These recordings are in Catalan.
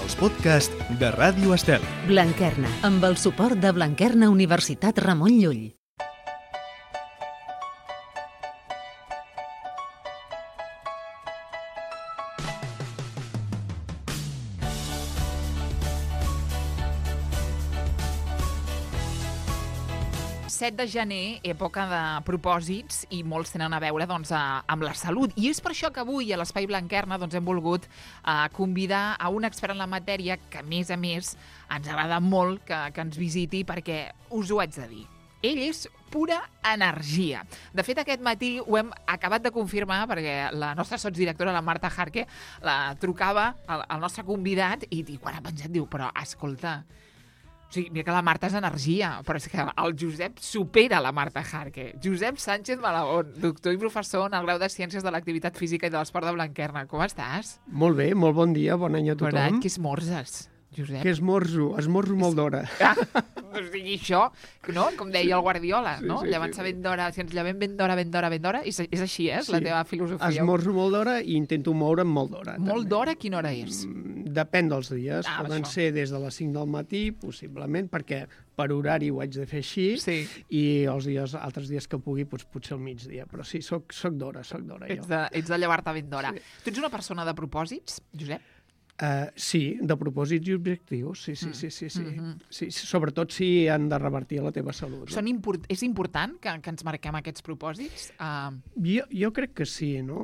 els podcasts de Ràdio Estel. Blanquerna, amb el suport de Blanquerna Universitat Ramon Llull. El 7 de gener, època de propòsits, i molts tenen a veure amb la salut. I és per això que avui a l'Espai Blanquerna hem volgut convidar a un expert en la matèria que, a més, ens agrada molt que ens visiti perquè us ho haig de dir. Ell és pura energia. De fet, aquest matí ho hem acabat de confirmar perquè la nostra sotsdirectora, la Marta Jarque, la trucava al nostre convidat i quan ha penjat diu, però escolta, o sigui, mira que la Marta és energia, però és que el Josep supera la Marta Jarque. Josep Sánchez Malagón, doctor i professor en el grau de Ciències de l'Activitat Física i de l'Esport de Blanquerna. Com estàs? Molt bé, molt bon dia, bon any a tothom. Bon any, què esmorzes, Josep? Què esmorzo? Esmorzo molt d'hora. O sigui, això, no? Com deia el Guardiola, no? Sí, Llevant-se ben d'hora, si ens llevem ben d'hora, és així, és la teva filosofia. Esmorzo molt d'hora i intento moure'm molt d'hora. Molt d'hora, quina hora és? Depèn dels dies. Poden això. ser des de les 5 del matí, possiblement, perquè per horari ho haig de fer així, Sí. i altres dies que pugui, potser al migdia. Però sí, soc d'hora, jo. Ets de llevar-te ben d'hora. Sí. Tu ets una persona de propòsits, Josep? Sí, de propòsits i objectius, sí. Sí, sobretot si han de revertir la teva salut. No? És important que ens marquem aquests propòsits? Jo crec que sí, no?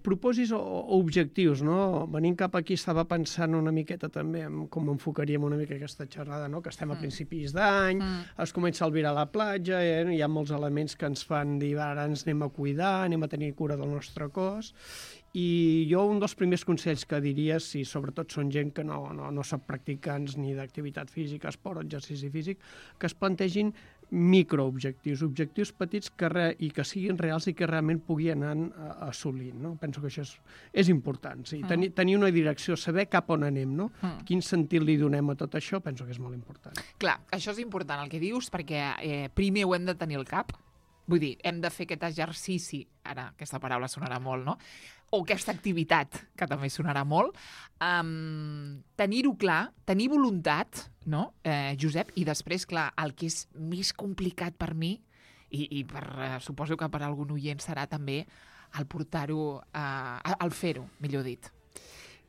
Propòsits o objectius, no? Venint cap aquí estava pensant una miqueta també en com enfocaríem una mica aquesta xerrada, no? Que estem a principis d'any, es comença a albirar la platja, hi ha molts elements que ens fan dir ara ens anem a cuidar, anem a tenir cura del nostre cos, i jo un dels primers consells que diria, si sobretot són gent que no són practicants ni d'activitat física, esport o exercici físic, que es plantegin microobjectius, objectius petits i que siguin reals i que realment pugui anar assolint. No? Penso que això és important. Sí. Tenir una direcció, saber cap on anem, no? Quin sentit li donem a tot això, penso que és molt important. Clar, això és important el que dius, perquè primer ho hem de tenir al cap. Vull dir, hem de fer aquest exercici, ara aquesta paraula sonarà molt, no? O aquesta activitat, que també sonarà molt. Tenir-ho clar, tenir voluntat, no, Josep? I després, clar, el que és més complicat per mi, i suposo que per algun oient serà també, el portar-ho, el fer-ho, millor dit.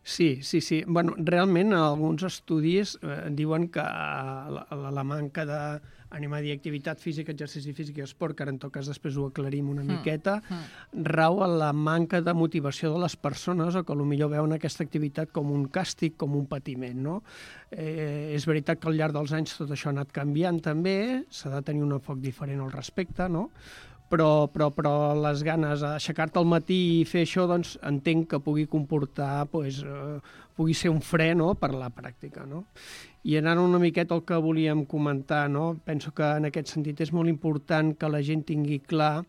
Sí. Bueno, realment, alguns estudis diuen que la manca d'activitat física, exercici físic i esport, que ara en tot cas després ho aclarim una miqueta, rau en la manca de motivació de les persones o que potser veuen aquesta activitat com un càstig, com un patiment, no? És veritat que al llarg dels anys tot això ha anat canviant també, s'ha de tenir un enfoc diferent al respecte, no? Però les ganes d'aixecar-te al matí i fer això, doncs entenc que pugui comportar, pugui ser un fre, no?, per la pràctica, no? I anant una miqueta al que volíem comentar, no? Penso que en aquest sentit és molt important que la gent tingui clar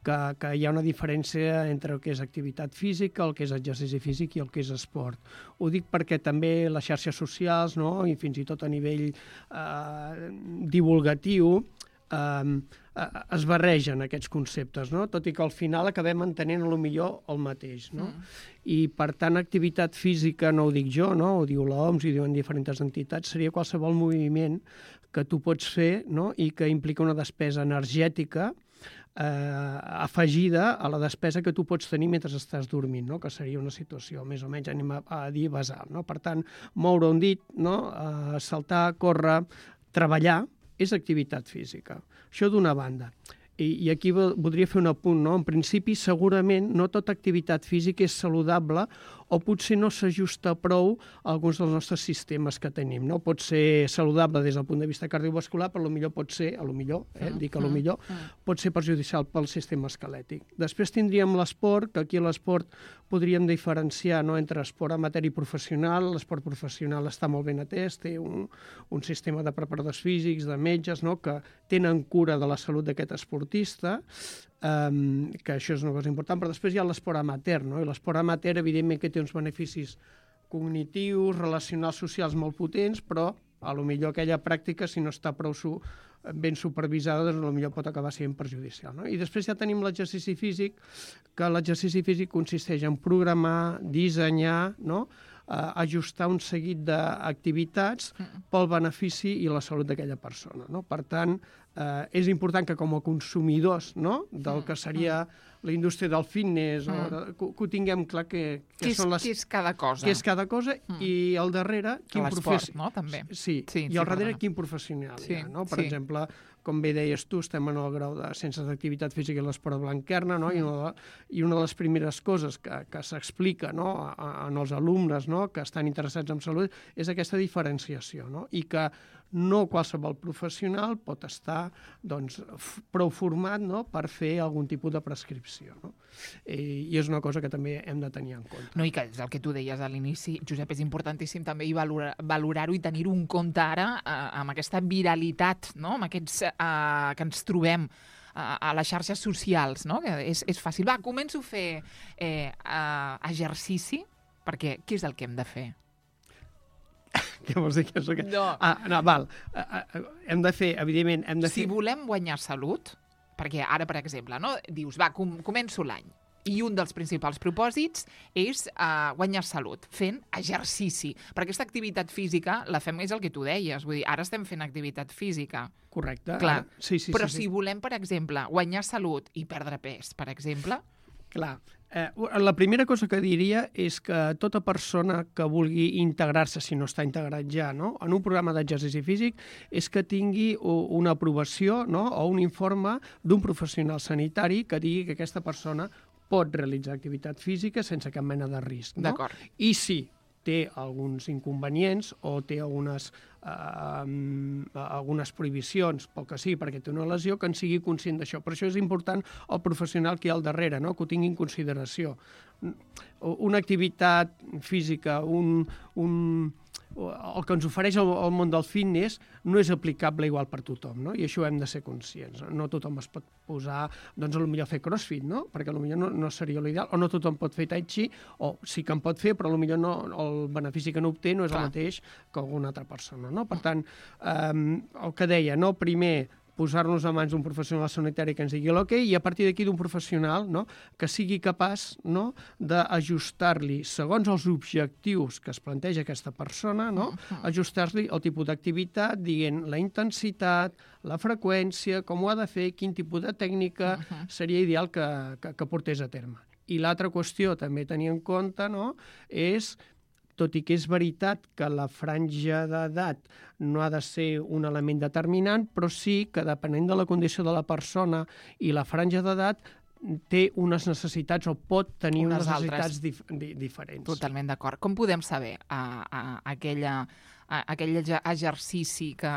que hi ha una diferència entre el que és activitat física, el que és exercici físic i el que és esport. Ho dic perquè també les xarxes socials, no?, i fins i tot a nivell divulgatiu, es barregen aquests conceptes, no? Tot i que al final acabem entenent potser el mateix, no? I per tant, activitat física no ho dic jo, no? Ho diu l'OMS i diuen diferents entitats, seria qualsevol moviment que tu pots fer, no?, i que implica una despesa energètica afegida a la despesa que tu pots tenir mentre estàs dormint, no? Que seria una situació més o menys, anem a dir, basal, no? Per tant, moure un dit, no?, saltar, córrer, treballar, és activitat física. Això d'una banda. I aquí voldria fer un apunt, no? En principi, segurament, no tota activitat física és saludable o potser no s'ajusta prou a alguns dels nostres sistemes que tenim, no? Pot ser saludable des del punt de vista cardiovascular, però potser pot ser, pot ser perjudicial pel sistema esquelètic. Després tindríem l'esport, que aquí l'esport podríem diferenciar, no?, entre esport amateur i professional. L'esport professional està molt ben atès, té un sistema de preparadors físics, de metges, no?, que tenen cura de la salut d'aquest esportista, que això és una cosa important, però després hi ha l'esport amateur, no? I l'esport amateur, evidentment, que té uns beneficis cognitius, relacionals, socials molt potents, però potser aquella pràctica, si no està prou ben supervisada, doncs potser pot acabar sent perjudicial, no? I després ja tenim l'exercici físic, que l'exercici físic consisteix en programar, dissenyar, no?, ajustar un seguit d'activitats pel benefici i la salut d'aquella persona, no? Per tant, és important que com a consumidors, no?, del que seria la indústria del fitness, que ho tinguem clar què són les... Què és cada cosa. Què és cada cosa i al darrere quin professional, no?, també. Sí, i al darrere quin professional hi ha, no? Per exemple, com bé deies tu, estem en el grau de Ciències d'Activitat Física i l'Esport Blanquerna, no? I una de les primeres coses que s'explica, no?, en els alumnes, no?, que estan interessats en salut és aquesta diferenciació, no?, i que no qualsevol professional pot estar doncs, prou format, no?, per fer algun tipus de prescripció, no? I és una cosa que també hem de tenir en compte. No, i que és el que tu deies a l'inici, Josep, és importantíssim també valorar-ho i tenir-ho en compte ara amb aquesta viralitat, no?, amb aquests que ens trobem a les xarxes socials, no?, que és fàcil. Va, començo a fer exercici, perquè què és el que hem de fer? Què vols dir? No. No, val. Hem de fer, evidentment... Si volem guanyar salut, perquè ara, per exemple, no, dius, va, començo l'any, i un dels principals propòsits és guanyar salut, fent exercici. Per aquesta activitat física la fem, és el que tu deies, vull dir, ara estem fent activitat física. Correcte. Clar. Sí, però si volem, per exemple, guanyar salut i perdre pes, per exemple... Clar. La primera cosa que diria és que tota persona que vulgui integrar-se, si no està integrat ja, no?, en un programa d'exercici físic, és que tingui una aprovació, no?, o un informe d'un professional sanitari que digui que aquesta persona pot realitzar activitat física sense cap mena de risc. No? D'acord. I si té alguns inconvenients o té algunes prohibicions, pel que sí, perquè té una lesió, que en sigui conscient d'això. Per això és important el professional que hi ha al darrere, no?, que ho tingui en consideració. Una activitat física, el que ens ofereix el món del fitness no és aplicable igual per tothom, no? I això hem de ser conscients. No tothom es pot posar, doncs, potser fer crossfit, no? Perquè potser no seria l'ideal, o no tothom pot fer tai chi, o sí que en pot fer, però potser no, el benefici que n'obté no és el mateix que alguna altra persona, no? Per tant, el que deia, no? Primer, posar-nos a mans d'un professional sanitari que ens digui l'ok, i a partir d'aquí d'un professional, no?, que sigui capaç, no?, d'ajustar-li, segons els objectius que es planteja aquesta persona, no?, ajustar-li el tipus d'activitat, dient la intensitat, la freqüència, com ho ha de fer, quin tipus de tècnica seria ideal que portés a terme. I l'altra qüestió també a tenir en compte, no?, és, tot i que és veritat que la franja d'edat no ha de ser un element determinant, però sí que depenent de la condició de la persona i la franja d'edat té unes necessitats o pot tenir unes necessitats diferents. Totalment d'acord. Com podem saber aquell exercici que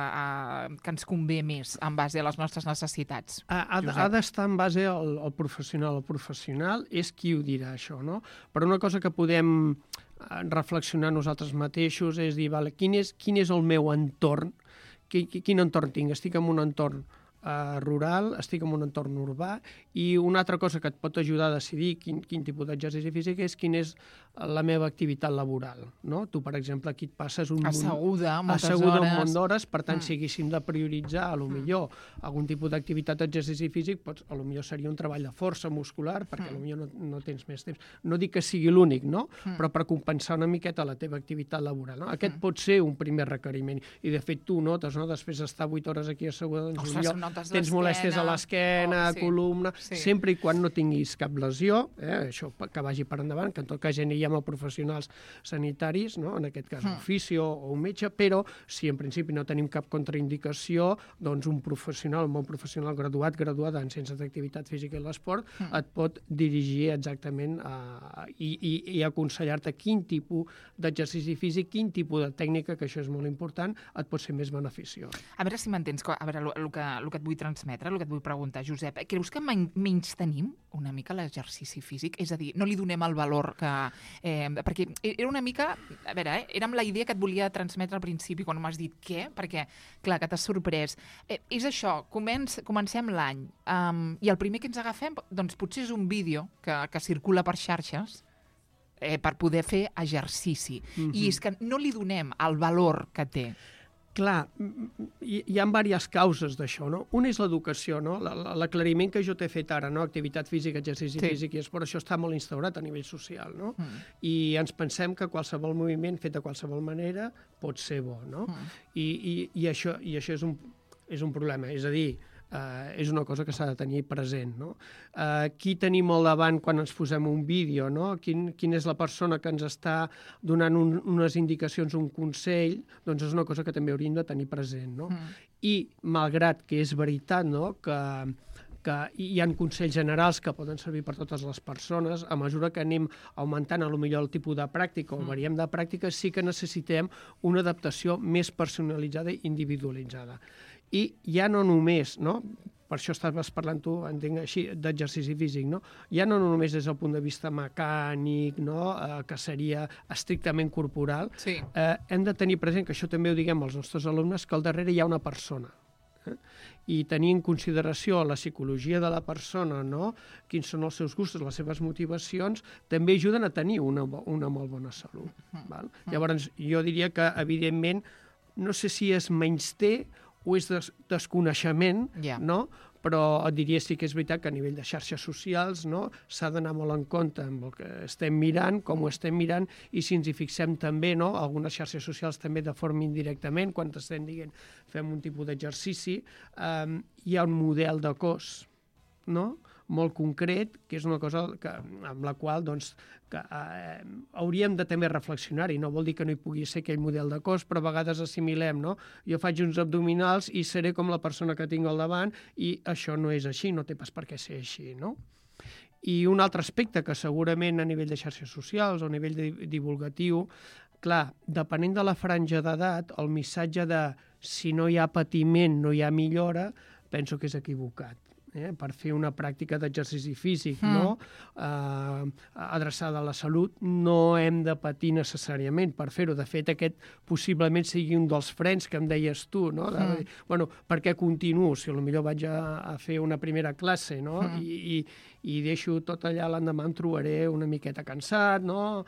ens convé més en base a les nostres necessitats? Ha d'estar en base al professional. El professional és qui ho dirà, això, no? Però una cosa que podem reflexionar nosaltres mateixos és dir, vale, quin és el meu entorn, quin entorn tinc? Estic en un entorn rural, estic en un entorn urbà, i una altra cosa que et pot ajudar a decidir quin tipus d'exercici físic és quina és la meva activitat laboral, no? Tu, per exemple, aquí et passes asseguda un munt d'hores, per tant, si haguéssim de prioritzar, potser algun tipus d'activitat d'exercici físic, potser seria un treball de força muscular, perquè potser no tens més temps. No dic que sigui l'únic, no? Però per compensar una miqueta la teva activitat laboral, no? Aquest pot ser un primer requeriment. I, de fet, tu notes, no?, després d'estar 8 hores aquí asseguda, doncs tens molèsties a l'esquena, columna, sempre i quan no tinguis cap lesió, això que vagi per endavant, que en tot cas ja aniríem a professionals sanitaris, no?, en aquest cas un fisio o un metge, però si en principi no tenim cap contraindicació, doncs un professional, un bon professional graduada en Ciències d'Activitat Física i l'Esport et pot dirigir exactament i aconsellar-te quin tipus d'exercici físic, quin tipus de tècnica, que això és molt important, et pot ser més beneficiós. A veure si m'entens, a veure, el que et vull transmetre, el que et vull preguntar, Josep, creus que menys tenim una mica l'exercici físic? És a dir, no li donem el valor que... perquè era una mica... A veure, era amb la idea que et volia transmetre al principi, quan m'has dit què, perquè, clar, que t'has sorprès. És això, comencem l'any, i el primer que ens agafem, doncs potser és un vídeo que circula per xarxes, per poder fer exercici. I és que no li donem el valor que té. Clar, hi ha diverses causes d'això, no? Una és l'educació, no? L'aclariment que jo t'he fet ara, no? Activitat física, exercici físic, i esport, això està molt instaurat a nivell social, no? I ens pensem que qualsevol moviment fet de qualsevol manera pot ser bo, no? I això és un problema, és a dir, és una cosa que s'ha de tenir present, no? Qui tenim al davant quan ens posem un vídeo, no? Quina és la persona que ens està donant unes indicacions, un consell, doncs és una cosa que també hauríem de tenir present, no? I malgrat que és veritat, no?, que hi ha consells generals que poden servir per totes les persones, a mesura que anem augmentant potser el tipus de pràctica o variem de pràctica, sí que necessitem una adaptació més personalitzada i individualitzada. I ja no només, no?, per això estaves parlant tu, entenc així, d'exercici físic, no? Ja no només des del punt de vista mecànic, no?, que seria estrictament corporal, hem de tenir present, que això també ho diguem als nostres alumnes, que al darrere hi ha una persona. I tenir en consideració la psicologia de la persona, no?, quins són els seus gustos, les seves motivacions, també ajuden a tenir una molt bona salut. Val? Llavors, jo diria que, evidentment, no sé si és menysté o és desconeixement, no?, però et diria sí que és veritat que a nivell de xarxes socials, no?, s'ha d'anar molt en compte amb el que estem mirant, com ho estem mirant, i si ens hi fixem també, no?, algunes xarxes socials també de forma indirectament, quan estem dient fem un tipus d'exercici, hi ha un model de cos, no?, molt concret, que és una cosa amb la qual doncs, hauríem de també reflexionar-hi. No vol dir que no hi pugui ser aquell model de cos, però a vegades assimilem, no? Jo faig uns abdominals i seré com la persona que tinc al davant, i això no és així, no té pas per què ser així, no? I un altre aspecte que segurament a nivell de xarxes socials o a nivell divulgatiu, clar, depenent de la franja d'edat, el missatge de si no hi ha patiment no hi ha millora, penso que és equivocat. Per fer una pràctica d'exercici físic, no?, adreçada a la salut, no hem de patir necessàriament per fer-ho. De fet, aquest possiblement sigui un dels frens que em deies tu, no?, de dir, bueno, per què continuo? Si potser vaig a fer una primera classe, no?, i deixo tot allà, l'endemà em trobaré una miqueta cansat, no?,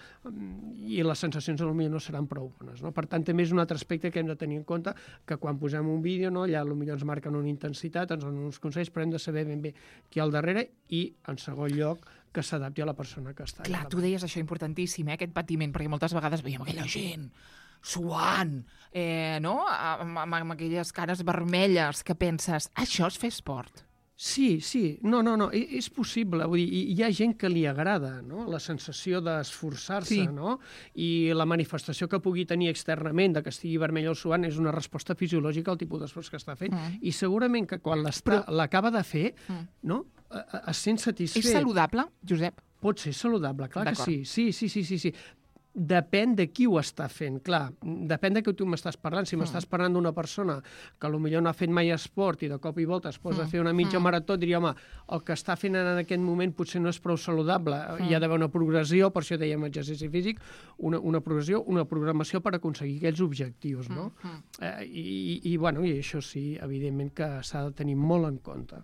i les sensacions potser no seran prou bones, no? Per tant, també és un altre aspecte que hem de tenir en compte, que quan posem un vídeo, no?, allà potser ens marquen una intensitat, ens donen uns consells, però hem de saber ben bé qui hi ha al darrere i, en segon lloc, que s'adapti a la persona que està allà. Clar, tu deies això importantíssim, aquest patiment, perquè moltes vegades veiem aquella gent suant, no?, amb aquelles cares vermelles que penses, això és fer esport. Sí, no, és possible. Vull dir, hi ha gent que li agrada, no?, la sensació d'esforçar-se, no?, i la manifestació que pugui tenir externament de que estigui vermell o suant és una resposta fisiològica al tipus d'esforç que està fent. I segurament que quan l'acaba de fer, no?, es sent satisfet. És saludable, Josep? Pot ser saludable, clar que sí. Sí. Depèn de qui ho està fent, clar. Depèn de què tu m'estàs parlant. Si m'estàs parlant d'una persona que potser no ha fet mai esport i de cop i volta es posa a fer una mitja marató, diria, home, el que està fent en aquest moment potser no és prou saludable. Hi ha d'haver una progressió, per això dèiem exercici físic, una progressió, una programació per aconseguir aquells objectius, no? I això sí, evidentment que s'ha de tenir molt en compte.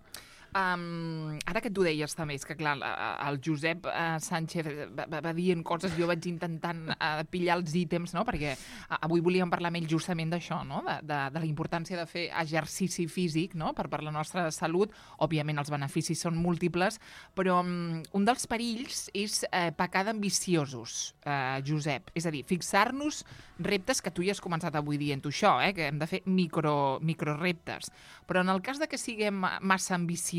Ara que tu deies també, és que clar, el Josep Sánchez va dient coses, jo vaig intentant pillar els ítems, no?, perquè avui volíem parlar amb ell justament d'això, no?, de la importància de fer exercici físic, no?, per la nostra salut. Òbviament els beneficis són múltiples, però un dels perills és pecar d'ambiciosos, Josep. És a dir, fixar-nos reptes, que tu ja has començat avui dient-ho això, que hem de fer microreptes. Però en el cas de que siguem massa ambiciosos,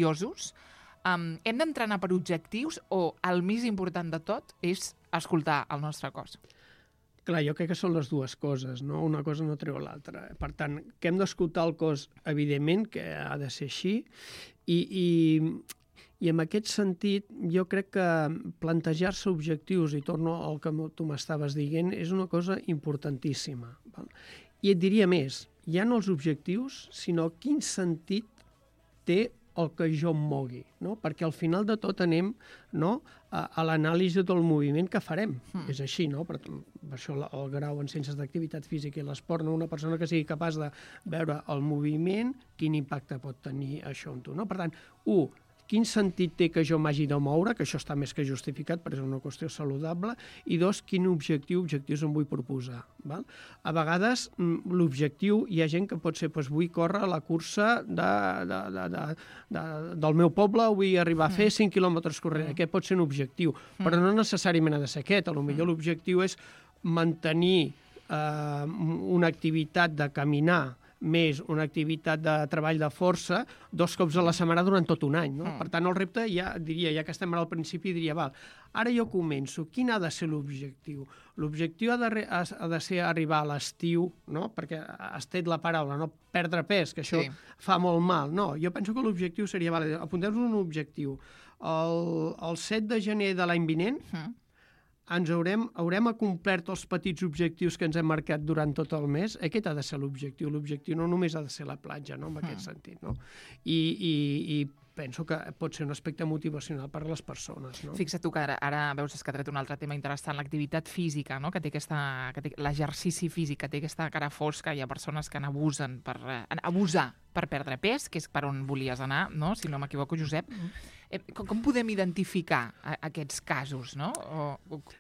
hem d'entrenar per objectius o el més important de tot és escoltar el nostre cos? Clar, jo crec que són les dues coses, no? Una cosa no treu l'altra. Per tant, que hem d'escoltar el cos, evidentment, que ha de ser així, i en aquest sentit jo crec que plantejar-se objectius, i torno al que tu m'estaves dient, és una cosa importantíssima. Val? I et diria més, ja no els objectius, sinó quin sentit té el que jo em mogui, no? Perquè al final de tot anem, no?, a l'anàlisi del moviment que farem. És així, no? Per això el grau en ciències d'activitat física i l'esport, no? Una persona que sigui capaç de veure el moviment, quin impacte pot tenir això en tu, no? Per tant, quin sentit té que jo m'hagi de moure, que això està més que justificat, perquè és una qüestió saludable, i dos, quin objectius em vull proposar. Val? A vegades, l'objectiu, hi ha gent que pot ser, doncs, vull córrer la cursa del meu poble, vull arribar a fer 5 quilòmetres corrent. Aquest pot ser un objectiu, però no necessàriament ha de ser aquest. Potser l'objectiu és mantenir una activitat de caminar més una activitat de treball de força 2 cops a la setmana durant tot un any. No? Per tant, el repte, ja que estem al principi, diria, val, ara jo començo, quin ha de ser l'objectiu? L'objectiu ha de ser arribar a l'estiu, no? Perquè has tret la paraula, no? Perdre pes, que això fa molt mal. No, jo penso que l'objectiu seria, vale, apuntem-nos un objectiu. El 7 de gener de l'any vinent, haurem complert els petits objectius que ens hem marcat durant tot el mes. Aquest ha de ser l'objectiu. L'objectiu no només ha de ser la platja, no? En aquest sentit. No? I penso que pot ser un aspecte motivacional per a les persones. No? Fixa't tu que ara veus que ha tret un altre tema interessant, l'activitat física, no? L'exercici físic, que té aquesta cara fosca. Hi ha persones que n'abusen per perdre pes, que és per on volies anar, no? Si no m'equivoco, Josep. Com podem identificar aquests casos, no?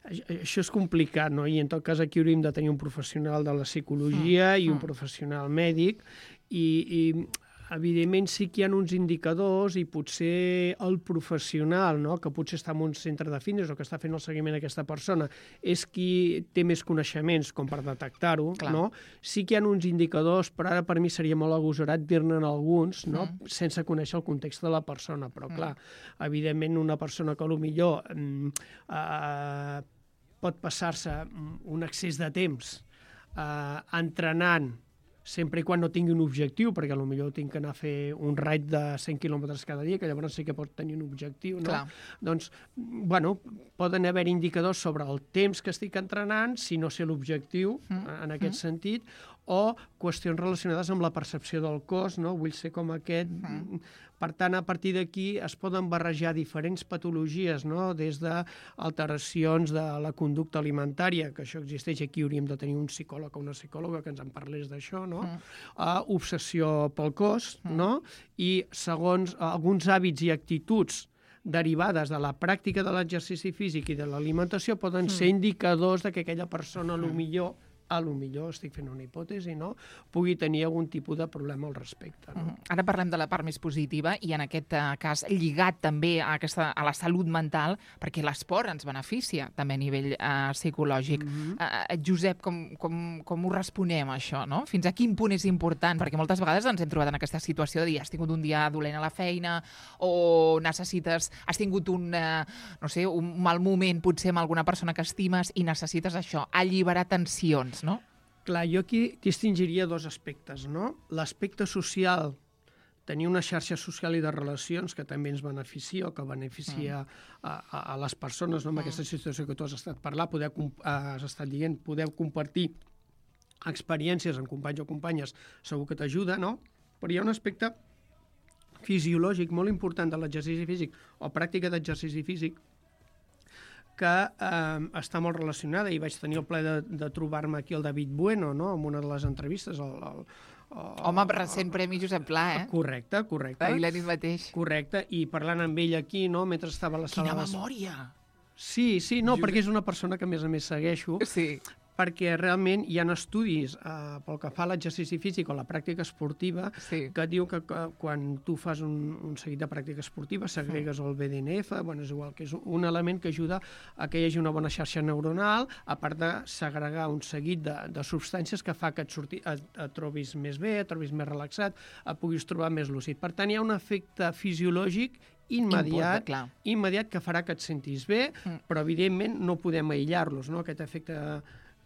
Això és complicat, no? I en tot cas aquí hauríem de tenir un professional de la psicologia i un professional mèdic i evidentment sí que hi ha uns indicadors i potser el professional, no? Que potser està en un centre de fitness o que està fent el seguiment d'aquesta persona, és qui té més coneixements com per detectar-ho. No? Sí que hi ha uns indicadors, però ara per mi seria molt agosarat dir-ne alguns, no? Sense conèixer el context de la persona. Però clar, evidentment una persona que potser pot passar-se un excés de temps entrenant sempre i quan no tingui un objectiu, perquè potser tinc que anar a fer un raid de 100 quilòmetres cada dia, que llavors sí que pot tenir un objectiu. No? Doncs, bueno, poden haver indicadors sobre el temps que estic entrenant, si no sé l'objectiu, en aquest sentit, o qüestions relacionades amb la percepció del cos, no? Vull ser com aquest. Per tant, a partir d'aquí es poden barrejar diferents patologies, no? Des d'alteracions de la conducta alimentària, que això existeix, aquí hauríem de tenir un psicòleg o una psicòloga que ens en parlés d'això, no? Obsessió pel cos, no? I segons alguns hàbits i actituds derivades de la pràctica de l'exercici físic i de l'alimentació poden ser indicadors de que aquella persona potser estic fent una hipòtesi, no? Pugui tenir algun tipus de problema al respecte. No? Ara parlem de la part més positiva i en aquest cas lligat també a la salut mental, perquè l'esport ens beneficia també a nivell psicològic. Josep, com ho responem, això? No? Fins a quin punt és important? Perquè moltes vegades ens hem trobat en aquesta situació de dir has tingut un dia dolent a la feina o has tingut un mal moment potser amb alguna persona que estimes i necessites això, alliberar tensions. No? Clar, jo aquí distingiria 2 aspectes, no? L'aspecte social, tenir una xarxa social i de relacions que també ens beneficia o que beneficia a les persones, no? Amb aquesta situació que tu has estat parlant, has estat dient, podeu compartir experiències amb companys o companyes, segur que t'ajuda, no? Però hi ha un aspecte fisiològic molt important de l'exercici físic o pràctica d'exercici físic que està molt relacionada, i vaig tenir el plaer de trobar-me aquí el David Bueno, no?, en una de les entrevistes. Home, recent premi Josep Pla, eh? Correcte. Ahir la nit mateix. Correcte, i parlant amb ell aquí, no?, mentre estava a la sala... Quina memòria! Sí, no, perquè és una persona que a més segueixo. Sí. Perquè realment hi ha estudis pel que fa a l'exercici físic o la pràctica esportiva que diu que quan tu fas un seguit de pràctica esportiva segregues el BDNF, bueno, és igual, que és un element que ajuda a que hi hagi una bona xarxa neuronal, a part de segregar un seguit de substàncies que fa que et trobis més bé, et trobis més relaxat, et puguis trobar més lúcid. Per tant, hi ha un efecte fisiològic immediat que farà que et sentis bé, però evidentment no podem aïllar-los, no? Aquest efecte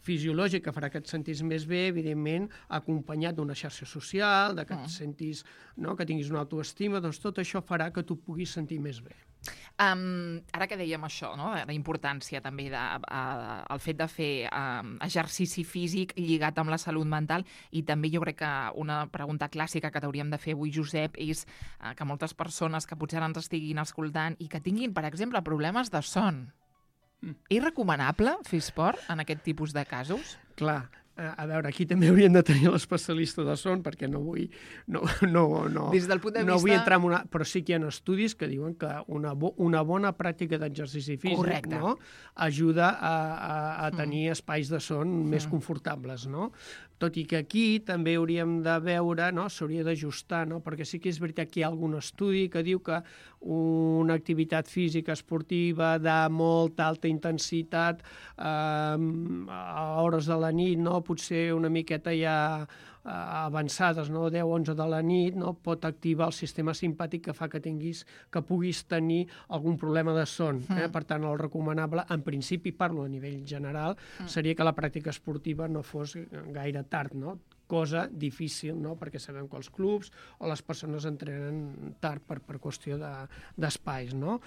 fisiològic que farà que et sentis més bé, evidentment, acompanyat d'una xarxa social, de que et sentis, no?, que tinguis una autoestima, doncs tot això farà que tu puguis sentir més bé. Ara que dèiem això, no?, la importància també del fet de fer exercici físic lligat amb la salut mental, i també jo crec que una pregunta clàssica que t'hauríem de fer avui, Josep, és que moltes persones que potser ara ens estiguin escoltant i que tinguin, per exemple, problemes de son, és recomanable fer esport en aquest tipus de casos? Clar, A veure, aquí també hauríem de tenir l'especialista de son, perquè no vull... Des del punt de no vista... vull entrar en una... Però sí que hi ha estudis que diuen que una bona pràctica d'exercici físic, no? Ajuda a tenir espais de son més confortables, no? Tot i que aquí també hauríem de veure, no? S'hauria d'ajustar, no? Perquè sí que és veritat que hi ha algun estudi que diu que una activitat física esportiva de molta alta intensitat a hores de la nit, no? Potser una miqueta ja avançades, no? 10-11 de la nit, no? Pot activar el sistema simpàtic que fa que puguis tenir algun problema de son. Per tant, el recomanable, en principi, parlo a nivell general, seria que la pràctica esportiva no fos gaire tard, no? Cosa difícil, no? Perquè sabem que els clubs o les persones entrenen tard per qüestió d'espais, no?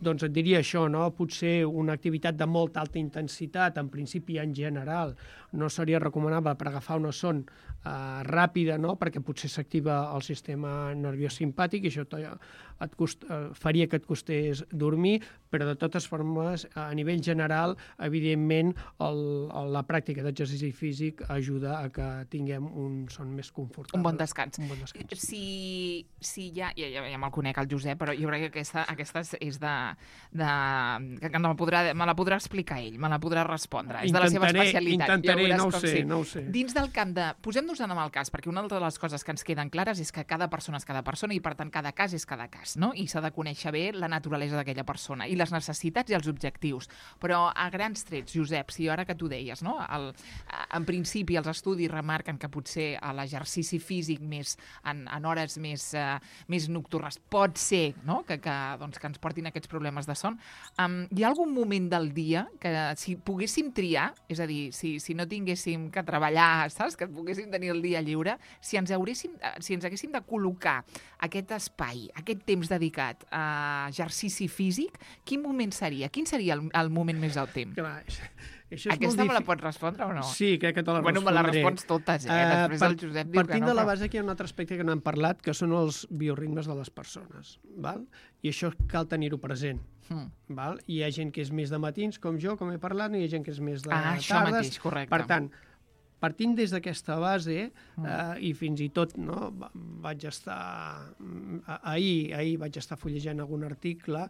Doncs et diria això, no? Potser una activitat de molta alta intensitat, en principi en general, no seria recomanable per agafar una son ràpida, no? Perquè potser s'activa el sistema nerviós simpàtic i això faria que et costés dormir, però de totes formes, a nivell general, evidentment, la pràctica d'exercici físic ajuda a que tinguem un son més confortable. Un bon descans. Un bon descans. Si ja me'l conec, el Josep, però jo crec que aquesta és que me la podrà explicar ell, me la podrà respondre. És de la seva especialitat. Intentaré, no ho sé. Dins del camp de... Posem-nos en el cas, perquè una de les coses que ens queden clares és que cada persona és cada persona i, per tant, cada cas és cada cas, no? I s'ha de conèixer bé la naturalesa d'aquella persona i les necessitats i els objectius. Però a grans trets, Josep, si ara que tu deies, no? En principi, els estudis remarquen que potser l'exercici físic en hores més nocturnes pot ser, no? que ens portin aquests problemes de son. Hi ha algun moment del dia que si poguéssim triar, és a dir, si no tinguéssim que treballar, saps? Que poguéssim tenir el dia lliure, si ens haguéssim de col·locar aquest espai, aquest temps dedicat a exercici físic, quin moment seria? Quin seria el moment més òptim? Clar, aquesta me la pots respondre o no? Sí, crec que te la respondré. Me la respons totes, Després el Josep diu que no. Partint de la base que hi ha un altre aspecte que no hem parlat, que són els bioritmes de les persones, val? I això cal tenir-ho present. Val? Hi ha gent que és més de matins, com jo, com he parlat, i hi ha gent que és més de tardes. Això mateix, correcte. Per tant, partint des d'aquesta base, i fins i tot vaig estar... Ahir vaig estar fullejant algun article,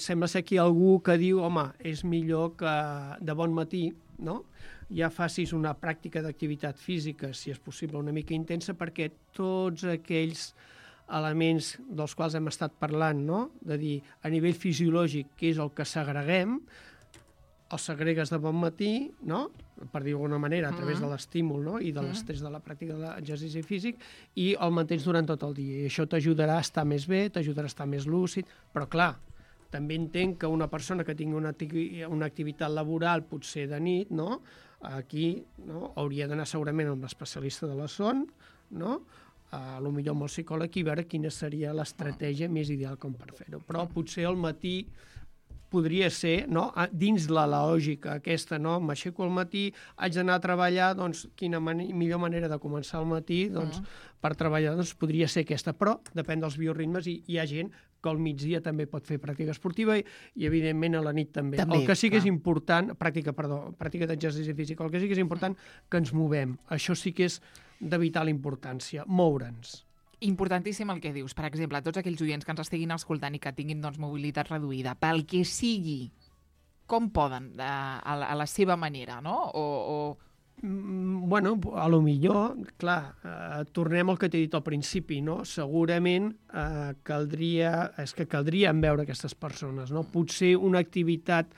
sembla ser que hi ha algú que diu, home, és millor que de bon matí, no? Ja facis una pràctica d'activitat física, si és possible, una mica intensa, perquè tots aquells elements dels quals hem estat parlant, no? De dir, a nivell fisiològic, què és el que segreguem, els segregues de bon matí, no? Per dir d'alguna manera, a través de l'estímul, no? I de l'estrès de la pràctica de l'exercici físic, i el mantens durant tot el dia. I això t'ajudarà a estar més bé, t'ajudarà a estar més lúcid, però clar, també entenc que una persona que tingui una activitat laboral, potser de nit, no? Aquí hauria d'anar segurament amb l'especialista de la son, no? Potser amb el psicòleg i veure quina seria l'estratègia més ideal com per fer-ho. Però potser al matí podria ser, no? Dins la lògica aquesta, no? M'aixeco al matí, haig d'anar a treballar, doncs quina millor manera de començar al matí per treballar podria ser aquesta, però depèn dels bioritmes i hi ha gent que al migdia també pot fer pràctica esportiva i evidentment a la nit també. El que sí que és important, pràctica d'exercici físic, el que sí que és important que ens movem. Això sí que és de vital importància, moure'ns. Importantíssim el que dius. Per exemple, tots aquells oients que ens estiguin escoltant i que tinguin mobilitat reduïda, pel que sigui, com poden, a la seva manera, no? Bueno, a lo millor, clar, tornem al que t'he dit al principi, no? Segurament caldrien veure aquestes persones, no? Potser una activitat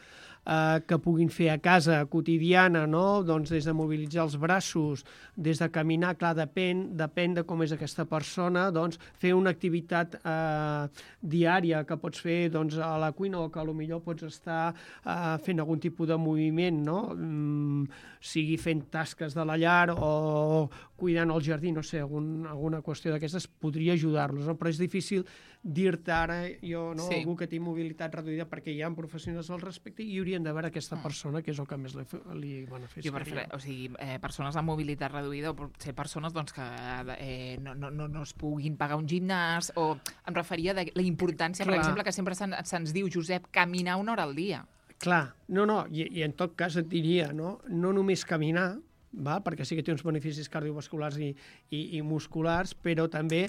que puguin fer a casa quotidiana, no? Doncs des de mobilitzar els braços, des de caminar, clar, depèn de com és aquesta persona, doncs fer una activitat diària que pots fer a la cuina o que potser pots estar fent algun tipus de moviment, no? Sigui fent tasques de la llar o cuidant el jardí, no sé, alguna qüestió d'aquestes podria ajudar-los, no? Però és difícil dir-te ara, algú que té mobilitat reduïda, perquè hi ha professionals al respecte i haurien de veure aquesta persona, que és el que més li beneficiaria. O sigui, persones amb mobilitat reduïda o potser persones que no es puguin pagar un gimnàs, o em referia a la importància, per exemple, que sempre se'ns diu, Josep, caminar 1 hora al dia. Clar, i en tot cas et diria, no només caminar, perquè sí que té uns beneficis cardiovasculars i musculars, però també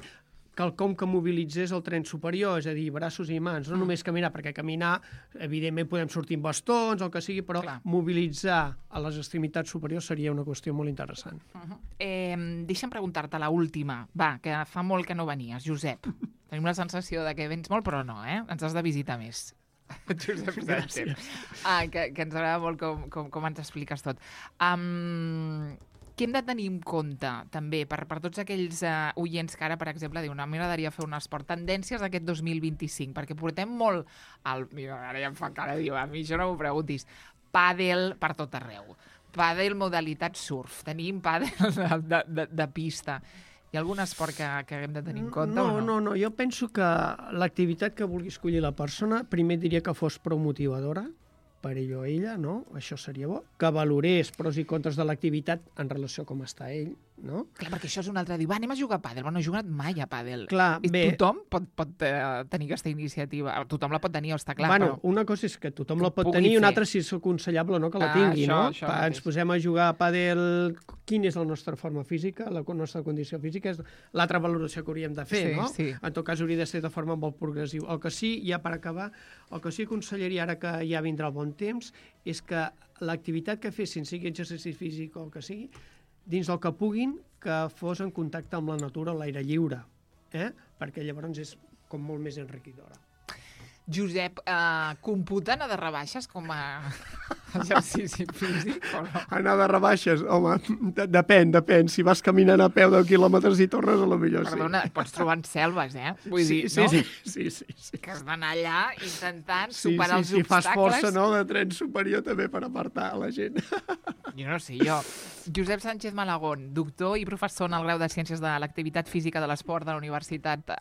quelcom que mobilitzés el tren superior, és a dir, braços i mans, no només caminar, perquè caminar, evidentment, podem sortir amb bastons o el que sigui, però mobilitzar a les extremitats superiors seria una qüestió molt interessant. Deixa'm preguntar-te la última, que fa molt que no venies, Josep. Tenim la sensació de que vens molt, però no, ens has de visitar més. Josep Sánchez. Que ens agrada molt com ens expliques tot. Què hem de tenir en compte, també, per tots aquells oients que ara, per exemple, diuen a mi m'agradaria fer un esport, tendències d'aquest 2025, perquè portem molt... Ara ja em fa cara, diu, a mi això no m'ho preguntis. Pàdel per tot arreu. Pàdel modalitat surf. Tenim pàdel de pista. Hi ha algun esport que hem de tenir en compte o no? No. Jo penso que l'activitat que vulgui escollir la persona, primer diria que fos prou motivadora, per ell o ella, no? Això seria bo. Que valorés pros i contres de l'activitat en relació a com està ell, no? Clar, perquè això és un altre. Diu, anem a jugar a pàdel. No he jugat mai a pàdel. Clar, bé. Tothom pot tenir aquesta iniciativa. Tothom la pot tenir, està clar. Bueno, una cosa és que tothom la pot tenir i una altra si és aconsellable o no que la tingui, no? Ens posem a jugar a pàdel... Quina és la nostra forma física, la nostra condició física? És l'altra valoració que hauríem de fer, no? Sí. En tot cas, hauria de ser de forma molt progressiva. El que sí, ja per acabar, el que sí aconsellaria ara que ja vindrà el bon temps és que l'activitat que fessin, sigui exercici físic o el que sigui, dins del que puguin, que fos en contacte amb la natura a l'aire lliure, perquè llavors és com molt més enriquidora. Josep, computen a de rebaixes com a exercici físic o no? Anar de rebaixes, home, depèn. Si vas caminant a peu 10 quilòmetres i tornes, a lo millor sí. Perdona, pots trobar en selves, Vull dir, no? Sí. Que has d'anar allà intentant superar els obstacles. Si fas força, no?, de tren superior també per apartar la gent. Jo no sé, Josep Sánchez Malagón, doctor i professor en el grau de Ciències de l'Activitat Física de l'Esport de la Universitat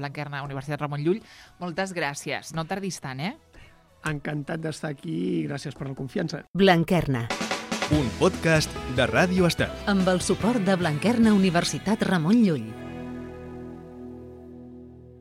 Blanquerna, Universitat Ramon Llull. Moltes gràcies. No tardis tant, Encantat d'estar aquí i gràcies per la confiança. Blanquerna. Un podcast de Ràdio Estel. Amb el suport de Blanquerna Universitat Ramon Llull.